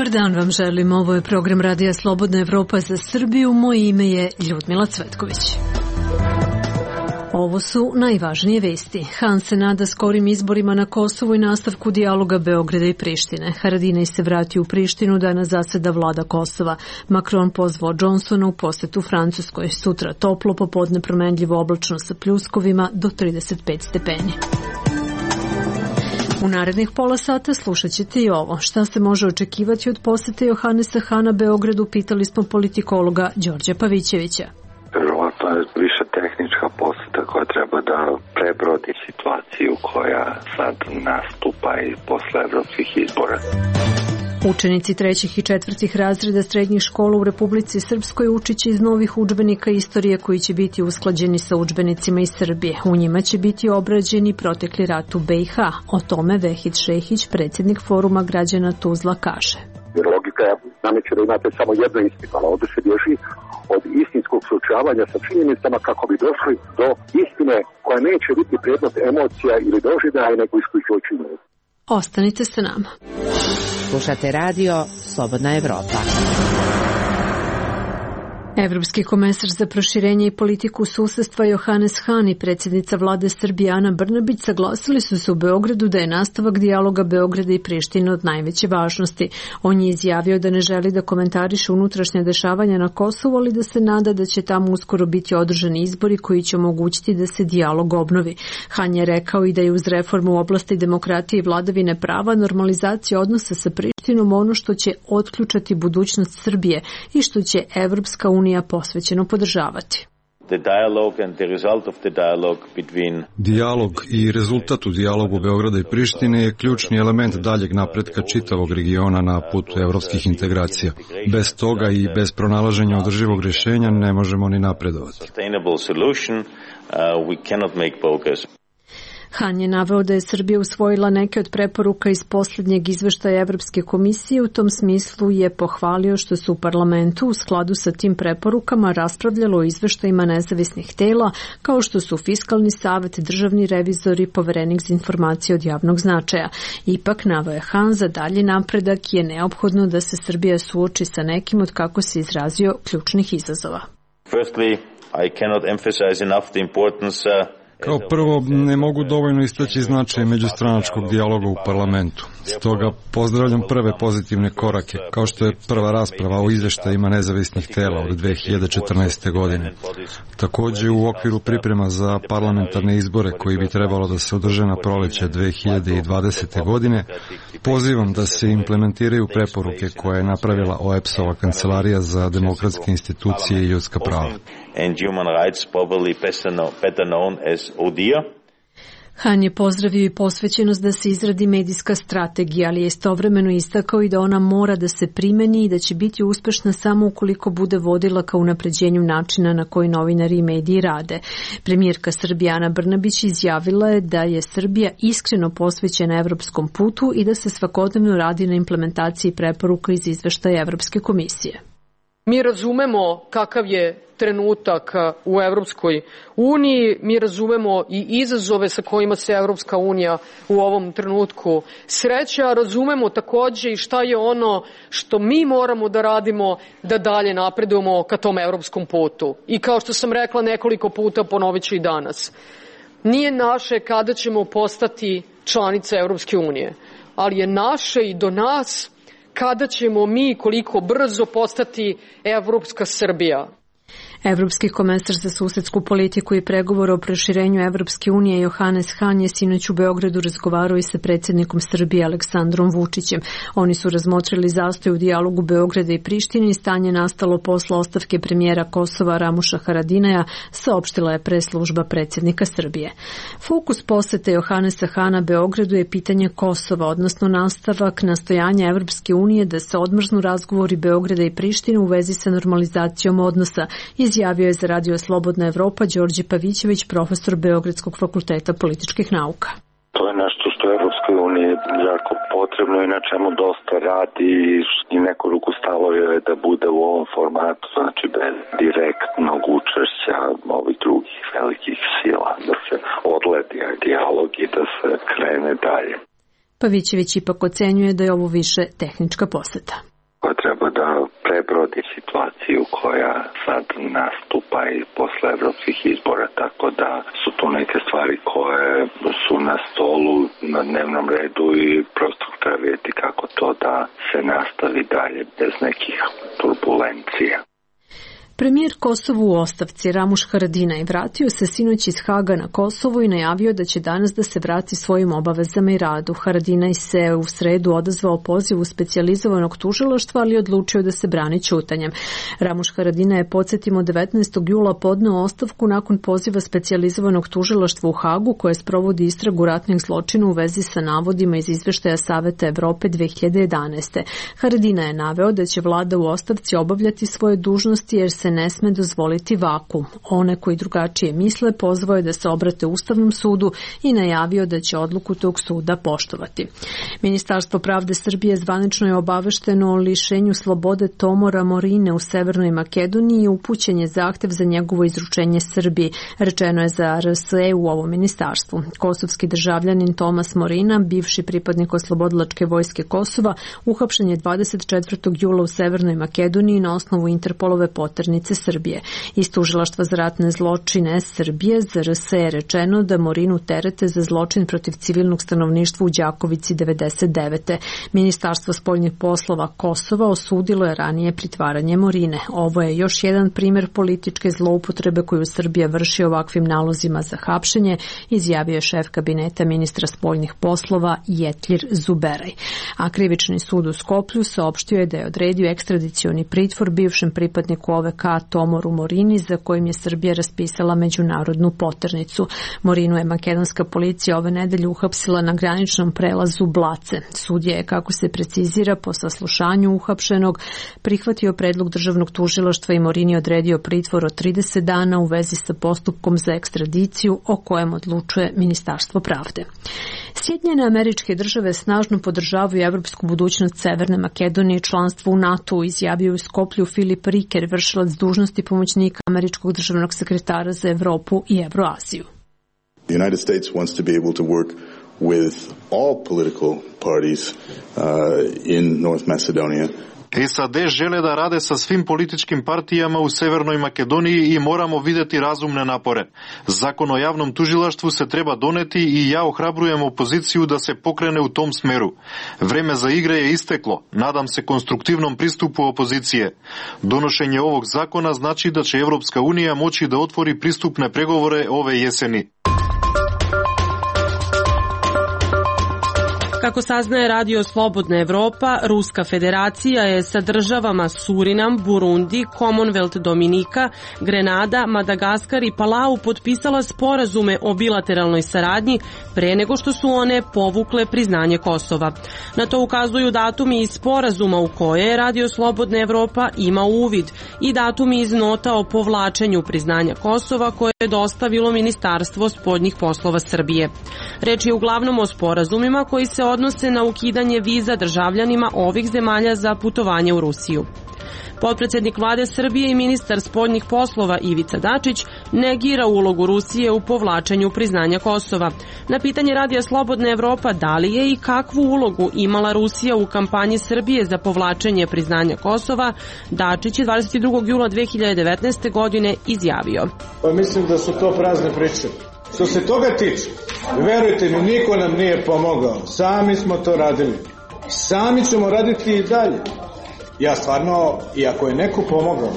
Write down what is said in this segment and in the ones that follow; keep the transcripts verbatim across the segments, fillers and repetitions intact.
Dobar dan vam želim, ovo je program Radija Slobodna Evropa za Srbiju, moje ime je Ljudmila Cvetković. Ovo su najvažnije vesti. Han se nada skorim izborima na Kosovu i nastavku dijaloga Beograda i Prištine. Haradinaj se vrati u Prištinu, danas zaseda vlada Kosova. Macron pozvao Johnsona u posetu Francuskoj. Sutra toplo, popodne promenljivo oblačno sa pljuskovima do trideset pet stepeni. U narednih pola sata slušat ćete i ovo. Šta se može očekivati od posete Johanesa Hana Beogradu, pitali smo politikologa Đorđa Pavićevića. Verovatno je više tehnička poseta koja treba da prebrodi situaciju koja sad nastupa i posle evropskih izbora. Učenici trećih i četvrtih razreda srednjih škola u Republici Srpskoj učit će iz novih udžbenika istorije koji će biti usklađeni sa udžbenicima iz Srbije. U njima će biti obrađeni protekli rat u B i H. O tome Vehid Šehić, predsjednik Foruma građana Tuzla, kaže. Jer logika je nameće da imate samo jedno istinu, ali ovdje se bježi od istinskog suočavanja sa činjenicama kako bi došli do istine koja neće biti predmet emocija ili doživljaja, nego isključivo činjenica. Ostanite sa nama. Slušate radio Slobodna Evropa. Evropski komesar za proširenje i politiku susedstva Johannes Hahn i predsjednica vlade Srbije Ana Brnabić saglasili su se u Beogradu da je nastavak dijaloga Beograda i Prištine od najveće važnosti. On je izjavio da ne želi da komentariše unutrašnje dešavanja na Kosovu, ali da se nada da će tamo uskoro biti održani izbori koji će omogućiti da se dijalog obnovi. Hahn je rekao i da je uz reformu u oblasti demokratije i vladavine prava normalizacija odnosa sa Prištinom ono što će otključati budućnost Srbije i što će Evropska unija posvećeno podržavati. Dijalog i rezultat u dijalogu Beograda i Prištine je ključni element daljeg napretka čitavog regiona na putu evropskih integracija. Bez toga i bez pronalaženja održivog rješenja ne možemo ni napredovati. Hahn je naveo da je Srbija usvojila neke od preporuka iz posljednjeg izveštaja Evropske komisije. U tom smislu je pohvalio što su u parlamentu u skladu sa tim preporukama raspravljalo o izveštajima nezavisnih tela, kao što su Fiskalni savet, državni revizor i poverenik za informacije od javnog značaja. Ipak, naveo je Hahn, za dalji napredak je neophodno da se Srbija suoči sa nekim od, kako se izrazio, ključnih izazova. Firstly, I cannot emphasize enough the importance uh... Kao prvo, ne mogu dovoljno istaći značaj međustranačkog dijaloga u parlamentu. Stoga pozdravljam prve pozitivne korake, kao što je prva rasprava o izvještajima nezavisnih tela od dve hiljade četrnaeste. godine. Također, u okviru priprema za parlamentarne izbore koji bi trebalo da se održe na proleće dve hiljade dvadesete. godine, pozivam da se implementiraju preporuke koje je napravila O E B S-ova kancelarija za demokratske institucije i ljudska prava. Hahn je pozdravio i posvećenost da se izradi medijska strategija, ali je istovremeno istakao i da ona mora da se primeni i da će biti uspešna samo ukoliko bude vodila ka unapređenju načina na koji novinari i mediji rade. Premijerka Srbije Ana Brnabić izjavila je da je Srbija iskreno posvećena evropskom putu i da se svakodnevno radi na implementaciji preporuka iz izveštaja Evropske komisije. Mi razumemo kakav je trenutak u Evropskoj uniji, mi razumemo i izazove sa kojima se Evropska unija u ovom trenutku sreće, a razumemo takođe i šta je ono što mi moramo da radimo da dalje napredujemo ka tom evropskom putu. I kao što sam rekla nekoliko puta, ponovit ću i danas. Nije naše kada ćemo postati članica Evropske unije, ali je naše i do nas kada ćemo mi koliko brzo postati Evropska Srbija. Evropski komesar za susedsku politiku i pregovore o proširenju Evropske unije Johannes Hahn je sinoć u Beogradu razgovarao i sa predsjednikom Srbije Aleksandrom Vučićem. Oni su razmotrili zastoj u dijalogu Beograda i Prištine i stanje nastalo posle ostavke premijera Kosova Ramuša Haradinaja, saopštila je preslužba predsjednika Srbije. Fokus posete Johannesa Hahna Beogradu je pitanje Kosova, odnosno nastavak nastojanja Evropske unije da se odmrznu razgovori Beograda i Prištine u vezi sa normalizacijom odnosa, izjavio je za Radio Slobodna Evropa Đorđe Pavićević, profesor Beogradskog fakulteta političkih nauka. To je nešto što je Evropskoj uniji jako potrebno i na čemu dosta radi i neku ruku stalo je da bude u ovom formatu, znači bez direktnog učešća ovih drugih velikih sila, da se odledi dijalog i da se krene dalje. Pavićević ipak ocenjuje da je ovo više tehnička poseta. dovodi situaciju koja sad nastupa i posle evropskih izbora, tako da su tu neke stvari koje su na stolu, na dnevnom redu i prosto treba vidjeti kako to da se nastavi dalje bez nekih turbulencija. Premijer Kosova u ostavci Ramuš Haradinaj vratio se sinoć iz Haga na Kosovo i najavio da će danas da se vrati svojim obavezama i radu. Haradinaj se u sredu odazvao pozivu specijalizovanog tužilaštva, ali odlučio da se brani ćutanjem. Ramuš Haradinaj je, podsjetimo, devetnaestog jula podneo ostavku nakon poziva specijalizovanog tužilaštva u Hagu koje sprovodi istragu ratnih zločina u vezi sa navodima iz izveštaja Saveta Evrope dve hiljade jedanaeste. Haradinaj je naveo da će vlada u ostavci obavljati svoje dužnosti jer se ne sme dozvoliti vakuum. One koji drugačije misle pozvao je da se obrate Ustavnom sudu i najavio da će odluku tog suda poštovati. Ministarstvo pravde Srbije zvanično je obavešteno o lišenju slobode Tomora Morine u Severnoj Makedoniji i upućen je zahtev za njegovo izručenje Srbiji, rečeno je za R S E u ovom ministarstvu. Kosovski državljanin Tomas Morina, bivši pripadnik Oslobodilačke vojske Kosova, uhapšen je dvadeset četvrtog jula u Severnoj Makedoniji na osnovu Interpolove poternice Srbije. Iz tužilaštva za ratne zločine Srbije za R S E je rečeno da Morinu terete za zločin protiv civilnog stanovništva u Đakovici devedeset devete. Ministarstvo spoljnih poslova Kosova osudilo je ranije pritvaranje Morine. Ovo je još jedan primjer političke zloupotrebe koju Srbija vrši ovakvim nalozima za hapšenje, izjavio je šef kabineta ministra spoljnih poslova Jetlir Zuberaj. A krivični sud u Skoplju saopštio je da je odredio ekstradicioni pritvor bivšem pripadniku O V K Tomoru Morini, za kojim je Srbija raspisala međunarodnu poternicu. Morinu je makedonska policija ove nedelje uhapsila na graničnom prelazu Blace. Sudija je, kako se precizira, po saslušanju uhapšenog prihvatio predlog državnog tužilaštva i Morini odredio pritvor od trideset dana u vezi sa postupkom za ekstradiciju o kojem odlučuje Ministarstvo pravde. Sjedinjene Američke Države snažno podržavaju evropsku budućnost Severne Makedonije i članstvo u NATO-u, izjavio u Skoplju Filip Riker, vršilac dužnosti pomoćnika američkog državnog sekretara za Evropu i Evroaziju. The United States wants to be able to work with all political parties uh, in North Macedonia. S A D žele da rade sa svim političkim partijama u Severnoj Makedoniji i moramo videti razumne napore. Zakon o javnom tužilaštvu se treba doneti i ja ohrabrujem opoziciju da se pokrene u tom smeru. Vreme za igre je isteklo. Nadam se konstruktivnom pristupu opozicije. Donošenje ovog zakona znači da će Evropska unija moći da otvori pristupne pregovore ove jeseni. Kako saznaje Radio Slobodna Evropa, Ruska federacija je sa državama Surinam, Burundi, Commonwealth Dominika, Grenada, Madagaskar i Palau potpisala sporazume o bilateralnoj saradnji pre nego što su one povukle priznanje Kosova. Na to ukazuju datumi iz sporazuma u koje Radio Slobodna Evropa ima uvid i datumi iz nota o povlačenju priznanja Kosova koje je dostavilo Ministarstvo spoljnih poslova Srbije. Reč je uglavnom o sporazumima koji se odnose na ukidanje viza državljanima ovih zemalja za putovanje u Rusiju. Potpredsjednik vlade Srbije i ministar spoljnih poslova Ivica Dačić negira ulogu Rusije u povlačenju priznanja Kosova. Na pitanje Radija Slobodna Evropa da li je i kakvu ulogu imala Rusija u kampanji Srbije za povlačenje priznanja Kosova, Dačić je dvadeset drugog jula dve hiljade devetnaeste. godine izjavio. Pa mislim da su to prazne priče. Što se toga tiče, verujte mi, niko nam nije pomogao. Sami smo to radili. Sami ćemo raditi i dalje. Ja stvarno, i ako je neko pomogao,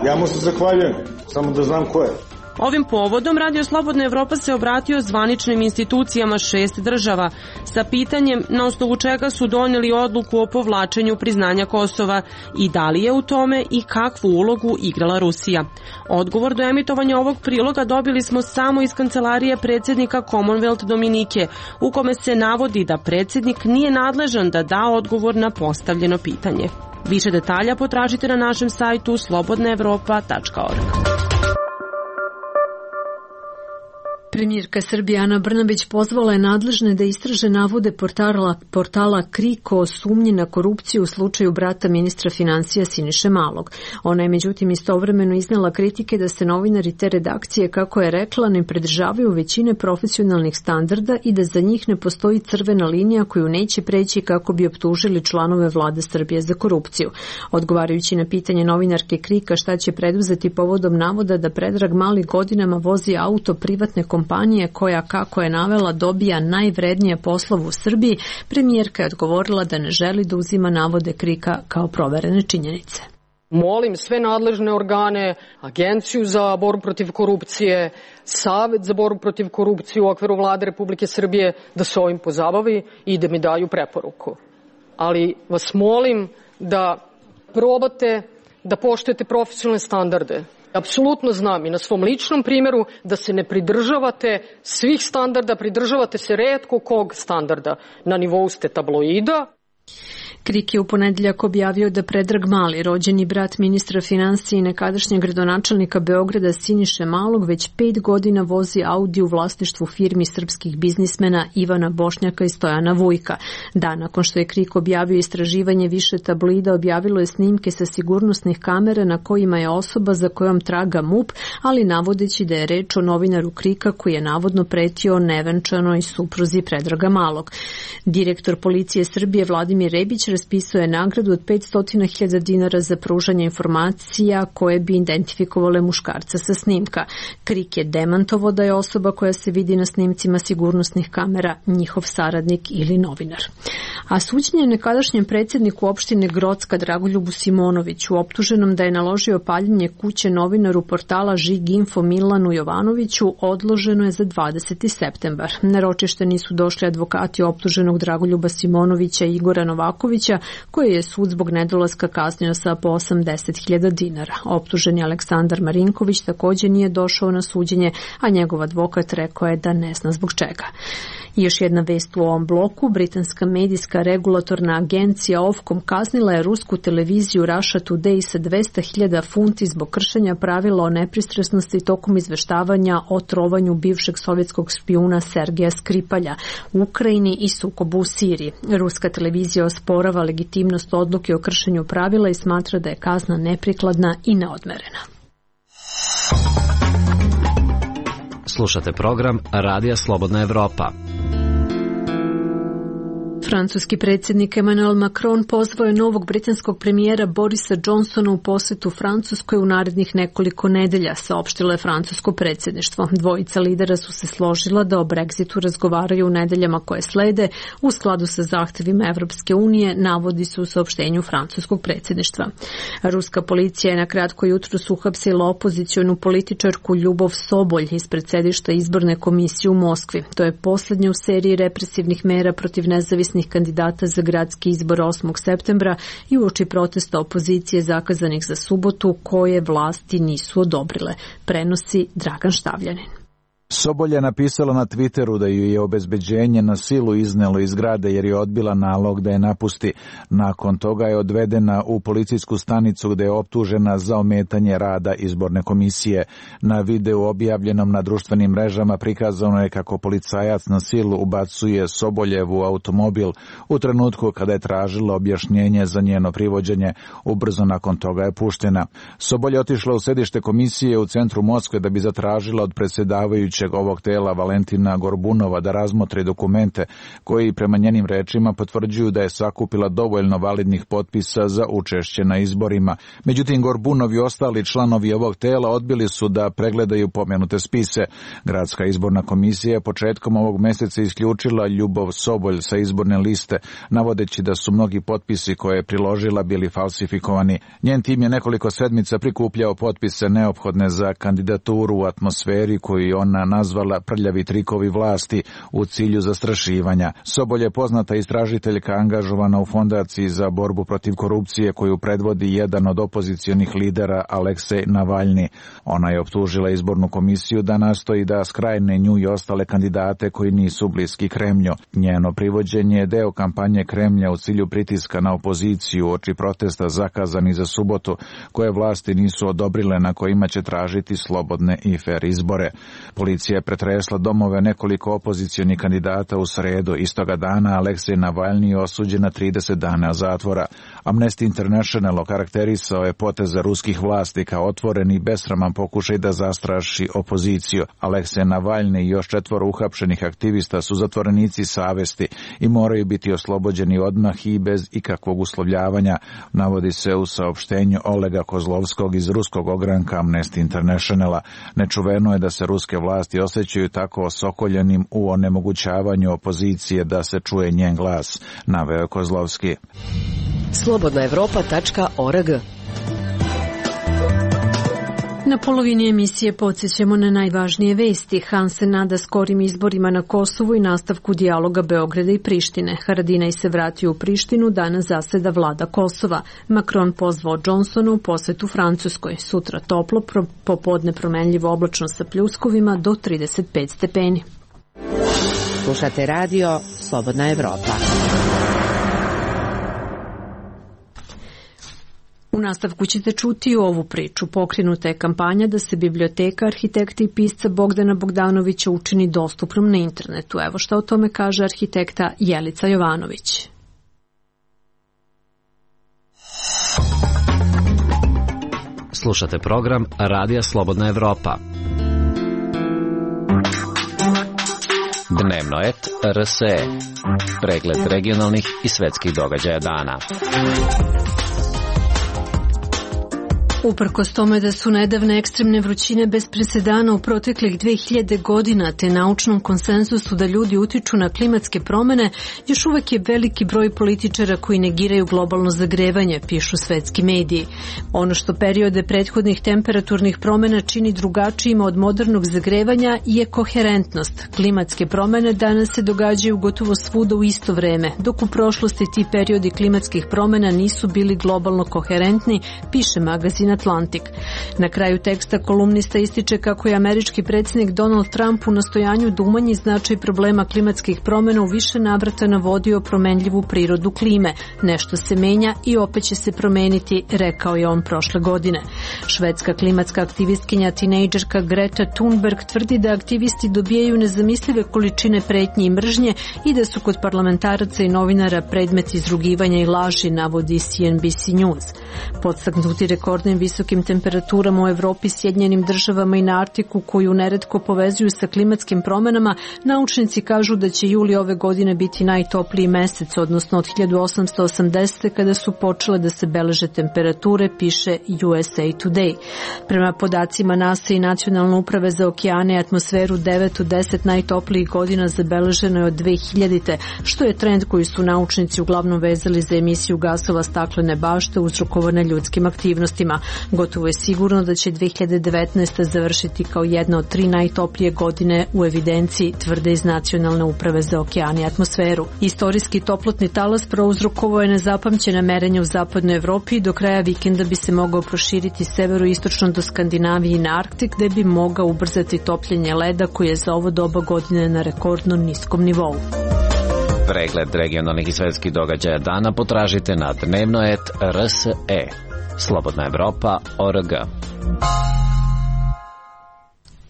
ja mu se zahvaljujem, samo da znam ko je. Ovim povodom Radio Slobodna Evropa se obratio zvaničnim institucijama šest država sa pitanjem na osnovu čega su donijeli odluku o povlačenju priznanja Kosova i da li je u tome i kakvu ulogu igrala Rusija. Odgovor do emitovanja ovog priloga dobili smo samo iz kancelarije predsjednika Commonwealth Dominike, u kome se navodi da predsjednik nije nadležan da da odgovor na postavljeno pitanje. Više detalja potražite na našem sajtu slobodna evropa tačka org. Premijerka Srbije Ana Brnabić pozvala je nadležne da istraže navode portala, portala Krik o sumnji na korupciju u slučaju brata ministra financija Siniše Malog. Ona je međutim istovremeno iznela kritike da se novinari te redakcije, kako je rekla, ne pridržavaju većine profesionalnih standarda i da za njih ne postoji crvena linija koju neće preći kako bi optužili članove vlade Srbije za korupciju. Odgovarajući na pitanje novinarke Krika šta će preduzeti povodom navoda da Predrag Mali godinama vozi auto privatne kompanije koja, kako je navela, dobija najvrednije poslove u Srbiji, premijerka je odgovorila da ne želi da uzima navode Krika kao proverene činjenice. Molim sve nadležne organe, Agenciju za borbu protiv korupcije, Savet za borbu protiv korupcije u okviru Vlade Republike Srbije da se ovim pozabavi i da mi daju preporuku. Ali vas molim da probate da poštujete profesionalne standarde. Apsolutno znam i na svom ličnom primjeru da se ne pridržavate svih standarda, pridržavate se retko kog standarda. Na nivou ste tabloida. Krik je u ponedeljak objavio da Predrag Mali, rođeni brat ministra financija i nekadašnjeg gradonačelnika Beograda Siniše Malog, već pet godina vozi Audi u vlasništvu firmi srpskih biznismena Ivana Bošnjaka i Stojana Vujka. Dan nakon što je Krik objavio istraživanje, više tabloida objavilo je snimke sa sigurnosnih kamera na kojima je osoba za kojom traga M U P, ali navodeći da je reč o novinaru Krika koji je navodno pretio nevenčanoj supruzi Predraga Malog. Direktor policije Srbije Vladimir Rebić raspisao je nagradu od petsto hiljada dinara za pružanje informacija koje bi identifikovale muškarca sa snimka. Krik je demantovao da je osoba koja se vidi na snimcima sigurnosnih kamera njihov saradnik ili novinar. A suđenje nekadašnjem predsjedniku opštine Grocka Dragoljubu Simonoviću, optuženom da je naložio paljenje kuće novinaru portala Žig Info Milanu Jovanoviću, odloženo je za dvadeseti septembar. Na ročište nisu došli advokati optuženog Dragoljuba Simonovića i Igora Novakovića, koje je sud zbog nedolaska kaznio sa po osamdeset hiljada dinara. Optuženi Aleksandar Marinković također nije došao na suđenje, a njegov advokat rekao je da ne zna zbog čega. I još jedna vest u ovom bloku. Britanska medijska regulatorna agencija Ofcom kaznila je rusku televiziju Russia Today sa dvesta hiljada funti zbog kršenja pravila o nepristrasnosti tokom izveštavanja o trovanju bivšeg sovjetskog špijuna Sergeja Skripalja u Ukrajini i sukobu u Siriji. Ruska televizija osporava legitimnost odluke o kršenju pravila i smatra da je kazna neprikladna i neodmerena. Slušate program Radija Slobodna Evropa. Francuski predsjednik Emmanuel Macron pozvao je novog britanskog premijera Borisa Johnsona u posjetu Francuskoj u narednih nekoliko nedelja, saopštilo je francusko predsjedništvo. Dvojica lidera su se složila da o Brexitu razgovaraju u nedeljama koje slede u skladu sa zahtjevima Evropske unije, navodi se u saopštenju francuskog predsjedništva. Ruska policija je na kratko jutros uhapsila opozicionu političarku Ljubov Sobolj ispred sedišta izborne komisije u Moskvi. To je posljednja u seriji represivnih mera protiv nezavisnih kandidata za gradski izbor osmog septembra i uoči protesta opozicije zakazanih za subotu koje vlasti nisu odobrile, prenosi Dragan Štavljanin. Sobolj je napisala na Twitteru da ju je obezbeđenje na silu iznelo iz zgrade jer je odbila nalog da je napusti. Nakon toga je odvedena u policijsku stanicu gde je optužena za ometanje rada izborne komisije. Na videu objavljenom na društvenim mrežama prikazano je kako policajac na silu ubacuje Soboljev u automobil u trenutku kada je tražila objašnjenje za njeno privođenje. Ubrzo nakon toga je puštena. Sobolj je otišla u sedište komisije u centru Moskve da bi zatražila od predsjedavajućeg ovog tela Valentina Gorbunova da razmotri dokumente koji prema njenim rečima potvrđuju da je sakupila dovoljno validnih potpisa za učešće na izborima. Međutim, Gorbunov i ostali članovi ovog tela odbili su da pregledaju pomenute spise. Gradska izborna komisija je početkom ovog mjeseca isključila Ljubov Sobolj sa izborne liste, navodeći da su mnogi potpisi koje je priložila bili falsifikovani. Njen tim je nekoliko sedmica prikupljao potpise neophodne za kandidaturu u atmosferi koju ona nazvala prljavi trikovi vlasti u cilju zastrašivanja. Sobolj je poznata istražiteljka angažovana u fondaciji za borbu protiv korupcije koju predvodi jedan od opozicionih lidera Aleksej Navalni. Ona je optužila izbornu komisiju da nastoji da skrajne nju i ostale kandidate koji nisu bliski Kremlju. Njeno privođenje je deo kampanje Kremlja u cilju pritiska na opoziciju oči protesta zakazani za subotu koje vlasti nisu odobrile na kojima će tražiti slobodne i fer izbore. Policija policija je pretresla domove nekoliko opozicionih kandidata u sredu. Istoga dana Aleksej Navalni je osuđen na trideset dana zatvora. Amnesty International okarakterisao je poteze ruskih vlasti kao otvoren i besraman pokušaj da zastraši opoziciju. Aleksej Navalni i još četvoro uhapšenih aktivista su zatvorenici savesti i moraju biti oslobođeni odmah i bez ikakvog uslovljavanja, navodi se u saopštenju Olega Kozlovskog iz ruskog ogranka Amnesty Internationala. Nečuveno je da se ruske vlasti osjećaju tako osokoljenim u onemogućavanju opozicije da se čuje njen glas, naveo Kozlovski. slobodna evropa tačka org. Na polovini emisije podsjećamo na najvažnije vesti. Han se nada skorim izborima na Kosovu i nastavku dijaloga Beograda i Prištine. Haradinaj se vratio u Prištinu, danas zaseda vlada Kosova. Macron pozvao Johnsona u posetu Francuskoj. Sutra toplo, popodne promenljivo oblačno sa pljuskovima do trideset pet stepeni. Slušate radio Slobodna Evropa. U nastavku ćete čuti ovu priču. Pokrenuta je kampanja da se biblioteka arhitekta i pisca Bogdana Bogdanovića učini dostupnom na internetu. Evo šta o tome kaže arhitekta Jelica Jovanović. Slušate program Radija Slobodna Evropa. Dnevno et R S E. Pregled regionalnih i svetskih događaja dana. Uprkos tome da su nedavne ekstremne vrućine bez presedana u proteklih dve hiljade godina te naučnom konsenzusu da ljudi utiču na klimatske promene, još uvek je veliki broj političara koji negiraju globalno zagrevanje, pišu svetski mediji. Ono što periode prethodnih temperaturnih promena čini drugačijima od modernog zagrevanja je koherentnost. Klimatske promene danas se događaju gotovo svuda u isto vreme, dok u prošlosti ti periodi klimatskih promena nisu bili globalno koherentni, piše magazin Atlantik. Na kraju teksta kolumnista ističe kako je američki predsjednik Donald Trump u nastojanju da umanji značaj problema klimatskih promjena u više navrata navodio promenljivu prirodu klime. Nešto se menja i opet će se promeniti, rekao je on prošle godine. Švedska klimatska aktivistkinja tinejdžerka Greta Thunberg tvrdi da aktivisti dobijaju nezamislive količine pretnje i mržnje i da su kod parlamentaraca i novinara predmet izrugivanja i laži, navodi C N B C News. Podstaknuti rekordnim visokim temperaturama u Evropi, Sjedinjenim državama i na Arktiku koju neretko povezuju sa klimatskim promenama, naučnici kažu da će juli ove godine biti najtopliji mesec, odnosno od hiljadu osamsto osamdesete kada su počele da se beleže temperature, piše U S A Today. Prema podacima NASA i Nacionalne uprave za okeane i atmosferu, devet od deset najtoplijih godina zabeleženo je od dve hiljadite, što je trend koji su naučnici uglavnom vezali za emisiju gasova staklene bašte uzrokovane ljudskim aktivnostima. Gotovo je sigurno da će dve hiljade devetnaeste. završiti kao jedna od tri najtoplije godine u evidenciji, tvrde iz Nacionalne uprave za okeane i atmosferu. Istorijski toplotni talas prouzrokovao je nezapamćena merenja u zapadnoj Evropi i do kraja vikenda bi se mogao proširiti severoistočno do Skandinavije i na Arktik, gde bi mogao ubrzati topljenje leda koji je za ovo doba godine na rekordno niskom nivou. Pregled regionalnih i svetskih događaja dana potražite na dnevno et R S E. Slobodna Evropa org.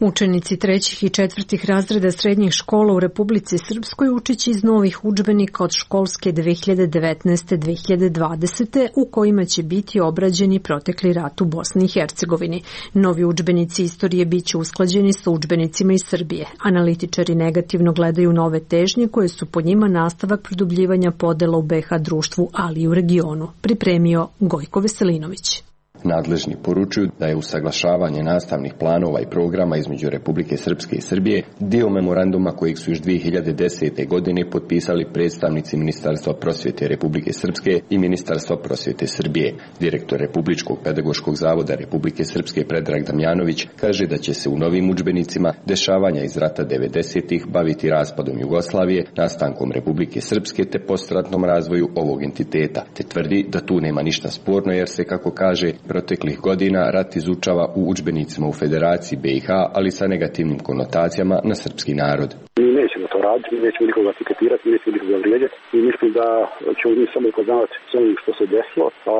Učenici trećih i četvrtih razreda srednjih škola u Republici Srpskoj učiće iz novih udžbenika od školske dve hiljade devetnaeste dve hiljade dvadesete. u kojima će biti obrađeni protekli rat u Bosni i Hercegovini. Novi udžbenici istorije biće usklađeni sa udžbenicima iz Srbije. Analitičari negativno gledaju nove težnje koje su po njima nastavak produbljivanja podela u B H društvu, ali i u regionu. Pripremio Gojko Veselinović. Nadležni poručuju da je usaglašavanje nastavnih planova i programa između Republike Srpske i Srbije dio memoranduma kojeg su još dve hiljade desete. godine potpisali predstavnici Ministarstva prosvjete Republike Srpske i Ministarstva prosvjete Srbije. Direktor Republičkog pedagoškog zavoda Republike Srpske Predrag Damjanović kaže da će se u novim udžbenicima dešavanja iz rata devedesetih baviti raspadom Jugoslavije, nastankom Republike Srpske te postratnom razvoju ovog entiteta, te tvrdi da tu nema ništa sporno jer se, kako kaže, proteklih godina rat izučava u udžbenicima u Federaciji B i H, ali sa negativnim konotacijama na srpski narod. Mi nećemo to raditi, mi nećemo nikoga etiketirati, mi nećemo nikoga vrijeđati i mislim da ćemo mi samo upoznavati s onim što se desilo, a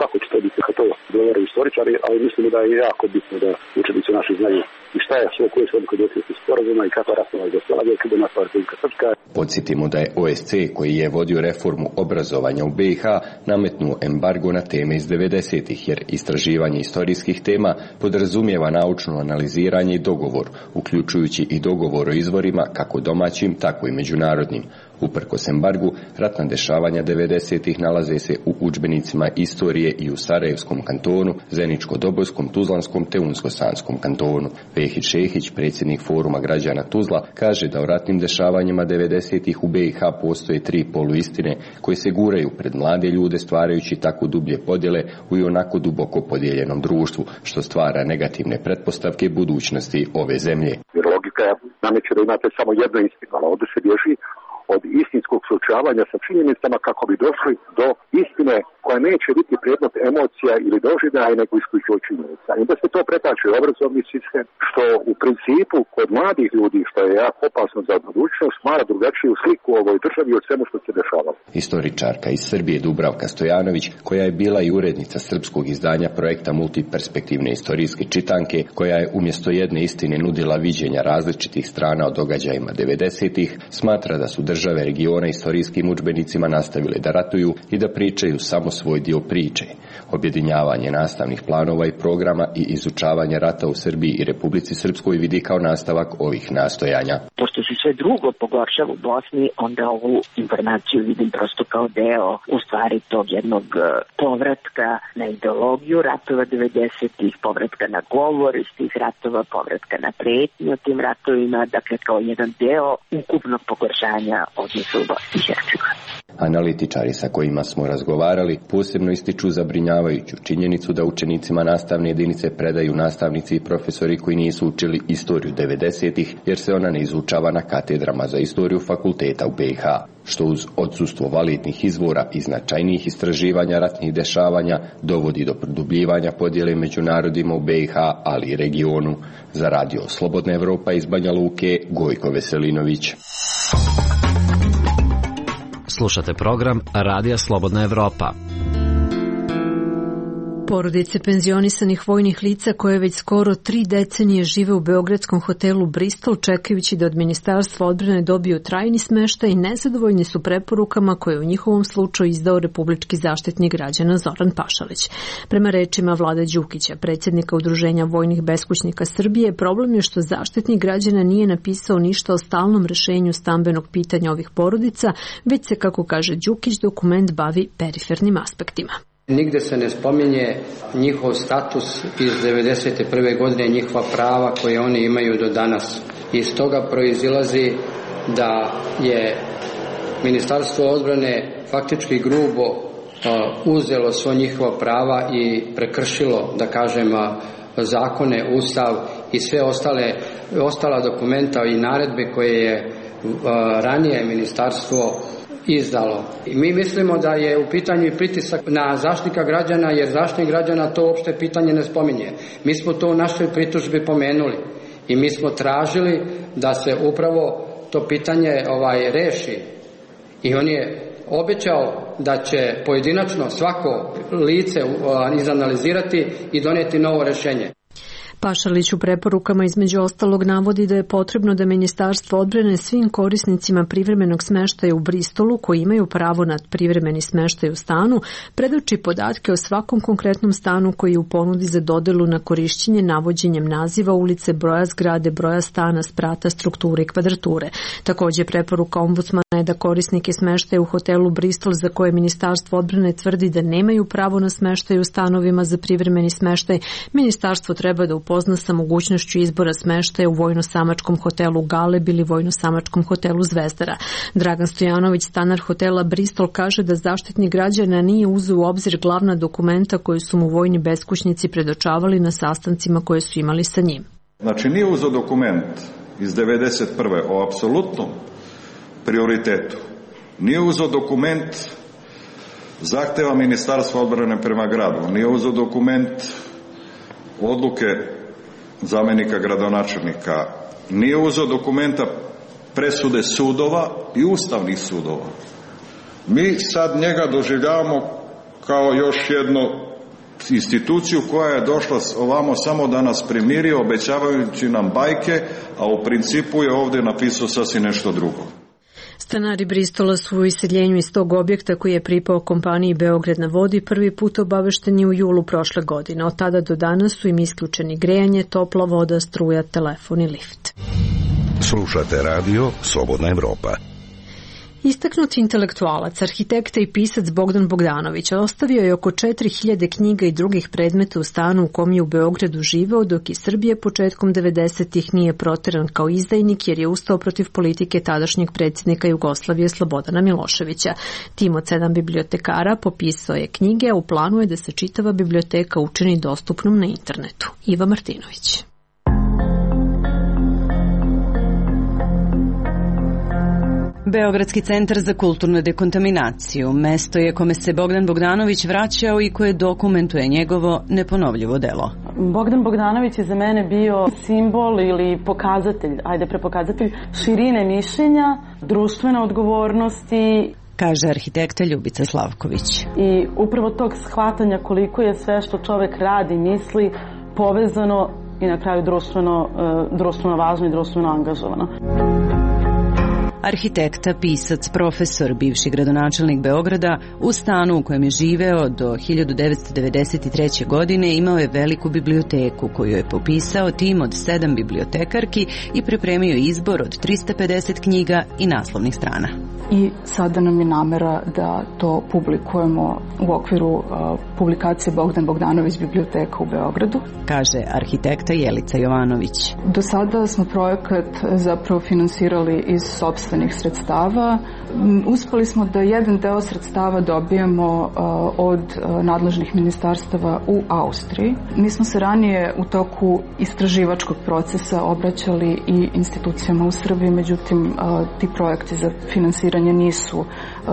kako će to biti, kako to govoraju istoričari, ali mislimo da je jako bitno da učenici naši znaju i šta je sve koje su odluke došli sporazuma i kako rasprava Jugoslavije kada je nastala Republika Srpska. Podsjetimo da je O S C, koji je vodio reformu obrazovanja u B i H, nametnuo embargo na teme iz devedesetih, jer istraživanje istorijskih tema podrazumijeva naučno analiziranje i dogovor, uključujući i dogovor o izvorima kako domaćim, tako i međunarodnim. Uprkos embargu, ratna dešavanja devedesetih nalaze se u udžbenicima istorije i u Sarajevskom kantonu, Zeničko-Dobojskom, Tuzlanskom te Unsko-Sanskom kantonu. Vehić Šehić, predsjednik Foruma građana Tuzla, kaže da o ratnim dešavanjima devedesetih u B i H postoje tri poluistine koje se guraju pred mlade ljude, stvarajući tako dublje podjele u i onako duboko podijeljenom društvu, što stvara negativne pretpostavke budućnosti ove zemlje. Jer logika nameće da imate samo jedno istinu, ali ovdje se bježi od istinskog suočavanja sa činjenicama kako bi došli do istine koja neće biti predmet emocija ili doživljaja nego isključivo činjenica. I da se to pretače u obrazovni sistem, što u principu kod mladih ljudi, što je jako opasno za budućnost, stvara drugačiju sliku u ovoj državi od svemu što se dešavalo. Istoričarka iz Srbije Dubravka Stojanović, koja je bila i urednica srpskog izdanja projekta Multiperspektivne istorijske čitanke, koja je umjesto jedne istine nudila viđenja različitih strana o događajima devedesetih, smatra da su države regiona istorijskim udžbenicima nastavile da ratuju i da pričaju samo svoj dio priče. Objedinjavanje nastavnih planova i programa i izučavanje rata u Srbiji i Republici Srpskoj vidi kao nastavak ovih nastojanja. Pošto se sve drugo pogoršava u Bosni, onda ovu informaciju vidim prosto kao deo u stvari tog jednog povratka na ideologiju ratova devedesetih, povratka na govor iz tih ratova, povratka na pretnju o tim ratovima, dakle kao jedan deo ukupnog pogoršanja odnosa u Bosni i Hercegovini. Analitičari sa kojima smo razgovarali posebno ističu zabrinjavajuću činjenicu da učenicima nastavne jedinice predaju nastavnici i profesori koji nisu učili istoriju devedesetih, jer se ona ne izučava na katedrama za istoriju fakulteta u B i H, što uz odsustvo validnih izvora i značajnijih istraživanja ratnih dešavanja dovodi do produbljivanja podjele među narodima u B i H, ali i regionu. Za radio Slobodna Evropa iz Banja Luke, Gojko Veselinović. Slušate program Radija Slobodna Evropa. Porodice penzionisanih vojnih lica koje već skoro tri decenije žive u beogradskom hotelu Bristol čekajući da od Ministarstva odbrane dobiju trajni smeštaj i nezadovoljni su preporukama koje je u njihovom slučaju izdao Republički zaštitnik građana Zoran Pašalić. Prema rečima Vlade Đukića, predsjednika Udruženja vojnih beskućnika Srbije, problem je što zaštitnik građana nije napisao ništa o stalnom rešenju stambenog pitanja ovih porodica, već se, kako kaže Đukić, dokument bavi perifernim aspektima. Nigde se ne spominje njihov status iz devedeset prve godine, njihova prava koje oni imaju do danas. Iz toga proizilazi da je Ministarstvo odbrane faktički grubo uzelo svo njihova prava i prekršilo, da kažem, zakone, ustav i sve ostale, ostala dokumenta i naredbe koje je ranije ministarstvo izdalo. I mi mislimo da je u pitanju i pritisak na zaštitnika građana, jer zaštitnik građana to uopšte pitanje ne spominje. Mi smo to u našoj pritužbi pomenuli i mi smo tražili da se upravo to pitanje ovaj reši. I on je obećao da će pojedinačno svako lice izanalizirati i donijeti novo rješenje. Pašalić u preporukama između ostalog navodi da je potrebno da Ministarstvo odbrane svim korisnicima privremenog smeštaja u Bristolu koji imaju pravo na privremeni smeštaj u stanu predoči podatke o svakom konkretnom stanu koji je u ponudi za dodelu na korišćenje navođenjem naziva ulice, broja zgrade, broja stana, sprata, strukture i kvadrature. Također preporuka ombudsmana je da korisnike smeštaja u hotelu Bristol za koje Ministarstvo odbrane tvrdi da nemaju pravo na smeštaj u stanovima za privremeni smeštaj, Ministarstvo treba da upozna sa mogućnošću izbora smeštaja u vojno-samačkom hotelu Galeb ili vojno-samačkom hotelu Zvezdara. Dragan Stojanović, stanar hotela Bristol, kaže da zaštitnik građana nije uzeo u obzir glavna dokumenta koje su mu vojni beskućnici predočavali na sastancima koje su imali sa njim. Znači nije uzeo dokument iz devedeset prve o apsolutnom prioritetu. Nije uzeo dokument zahteva Ministarstva odbrane prema gradu. Nije uzeo dokument odluke zamjenika gradonačelnika. Nije uzeo dokumenta presude sudova i ustavnih sudova. Mi sad njega doživljavamo kao još jedno instituciju koja je došla ovamo samo da nas primiri, obećavajući nam bajke, a u principu je ovdje napisao sasvim nešto drugo. Stanari Bristola su u iseljenju iz tog objekta koji je pripao kompaniji Beograd na vodi prvi put obavešteni u julu prošle godine. Od tada do danas su im isključeni grejanje, topla voda, struja, telefon i lift. Slušate radio Slobodna Evropa. Istaknuti intelektualac, arhitekta i pisac Bogdan Bogdanović ostavio je oko četiri hiljade knjiga i drugih predmeta u stanu u kom je u Beogradu živeo, dok iz Srbije početkom devedesetih nije proteran kao izdajnik jer je ustao protiv politike tadašnjeg predsjednika Jugoslavije Slobodana Miloševića. Tim od sedam bibliotekara popisao je knjige, a u planu je da se čitava biblioteka učini dostupnom na internetu. Iva Martinović. Beogradski centar za kulturnu dekontaminaciju mesto je kome se Bogdan Bogdanović vraćao i koje dokumentuje njegovo neponovljivo delo. Bogdan Bogdanović je za mene bio simbol ili pokazatelj, ajde prepokazatelj, širine mišljenja, društvene odgovornosti, kaže arhitekta Ljubica Slavković. I upravo tog shvatanja koliko je sve što čovek radi, misli, povezano i na kraju društveno, društveno važno i društveno angažovano. Arhitekta, pisac, profesor, bivši gradonačelnik Beograda, u stanu u kojem je živeo do hiljadu devetsto devedeset treće. godine imao je veliku biblioteku koju je popisao tim od sedam bibliotekarki i pripremio izbor od trista pedeset knjiga i naslovnih strana. I sada nam je namera da to publikujemo u okviru uh, publikacije Bogdan Bogdanović biblioteka u Beogradu, kaže arhitekta Jelica Jovanović. Do sada smo projekat zapravo finansirali iz sopstvenih sredstava. Uspeli smo da jedan deo sredstava dobijemo uh, od uh, nadležnih ministarstava u Austriji. Mi smo se ranije u toku istraživačkog procesa obraćali i institucijama u Srbiji, međutim uh, ti projekti za finansiranje nisu,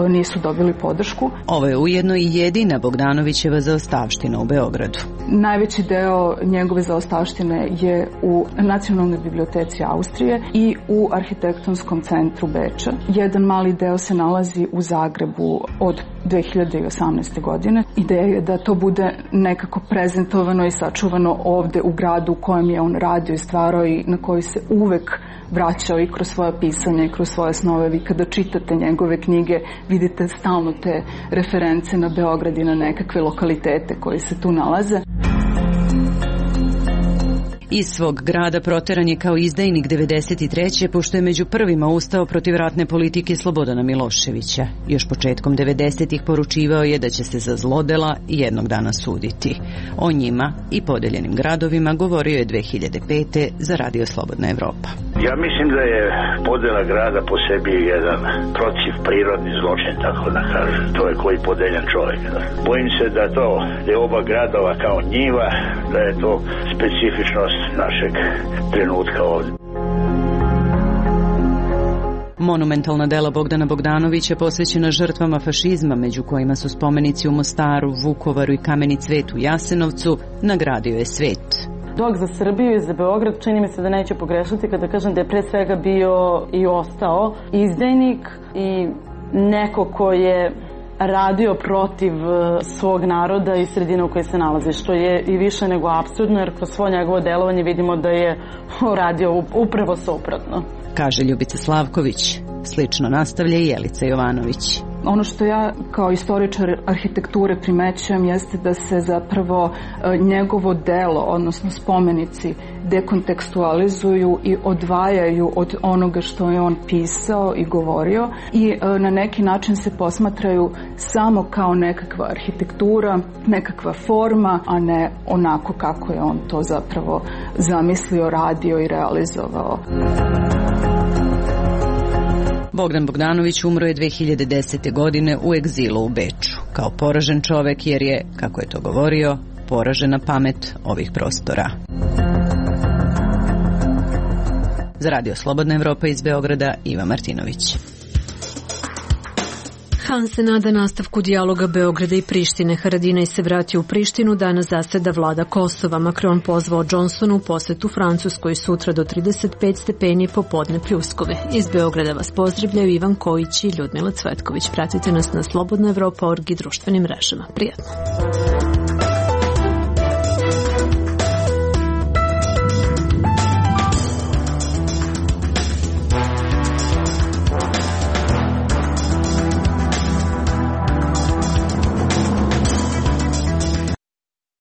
nisu dobili podršku. Ovo je ujedno i jedina Bogdanovićeva zaostavština u Beogradu. Najveći deo njegove zaostavštine je u Nacionalnoj biblioteci Austrije i u Arhitektonskom centru Beča. Jedan mali deo se nalazi u Zagrebu od dve hiljade osamnaeste. godine. Ideja je da to bude nekako prezentovano i sačuvano ovde u gradu u kojem je on radio i stvarao i na koji se uvek vraćao i kroz svoje pisanje i kroz svoje snove. Vi kada čitate njegove knjige vidite stalno te reference na Beograd i na nekakve lokalitete koji se tu nalaze. Iz svog grada proteran je kao izdajnik devedeset treće. pošto je među prvima ustao protiv ratne politike Slobodana Miloševića. Još početkom devedesetih poručivao je da će se za zlodela jednog dana suditi. O njima i podeljenim gradovima govorio je dve hiljade pete. za Radio Slobodna Evropa. Ja mislim da je podela grada po sebi jedan protiv prirodni zločin, tako da kažem. To je koji podeljen čovjek. Bojim se da to je oba gradova kao njiva, da je to specifičnost našeg trenutka ovdje. Monumentalna dela Bogdana Bogdanovića posvećena žrtvama fašizma, među kojima su spomenici u Mostaru, Vukovaru i Kameni cvet u Jasenovcu, nagradio je svet. Dok za Srbiju i za Beograd čini mi se da neće pogrešiti kada kažem da je pre svega bio i ostao izdajnik i neko ko je radio protiv svog naroda i sredine u kojoj se nalazi, što je i više nego apsurdno, jer kroz svo njegovo delovanje vidimo da je radio upravo suprotno. Kaže Ljubica Slavković. Slično nastavlja i Jelica Jovanović. Ono što ja kao istoričar arhitekture primećujem jeste da se zapravo njegovo delo, odnosno spomenici, dekontekstualizuju i odvajaju od onoga što je on pisao i govorio i na neki način se posmatraju samo kao nekakva arhitektura, nekakva forma, a ne onako kako je on to zapravo zamislio, radio i realizovao. Bogdan Bogdanović umro je dve hiljade desete. godine u egzilu u Beču, kao poražen čovek jer je, kako je to govorio, poražena pamet ovih prostora. Za Radio Slobodna Evropa iz Beograda, Iva Martinović. Han se nada nastavku dijaloga Beograda i Prištine. Haradinaj se vratio u Prištinu, danas zaseda vlada Kosova. Macron pozvao Johnsonu u posetu Francuskoj, sutra do trideset pet stepeni, popodne pljuskove. Iz Beograda vas pozdravljaju Ivan Kojić i Ljudmila Cvetković. Pratite nas na slobodna evropa org i društvenim mrežama. Prijatno.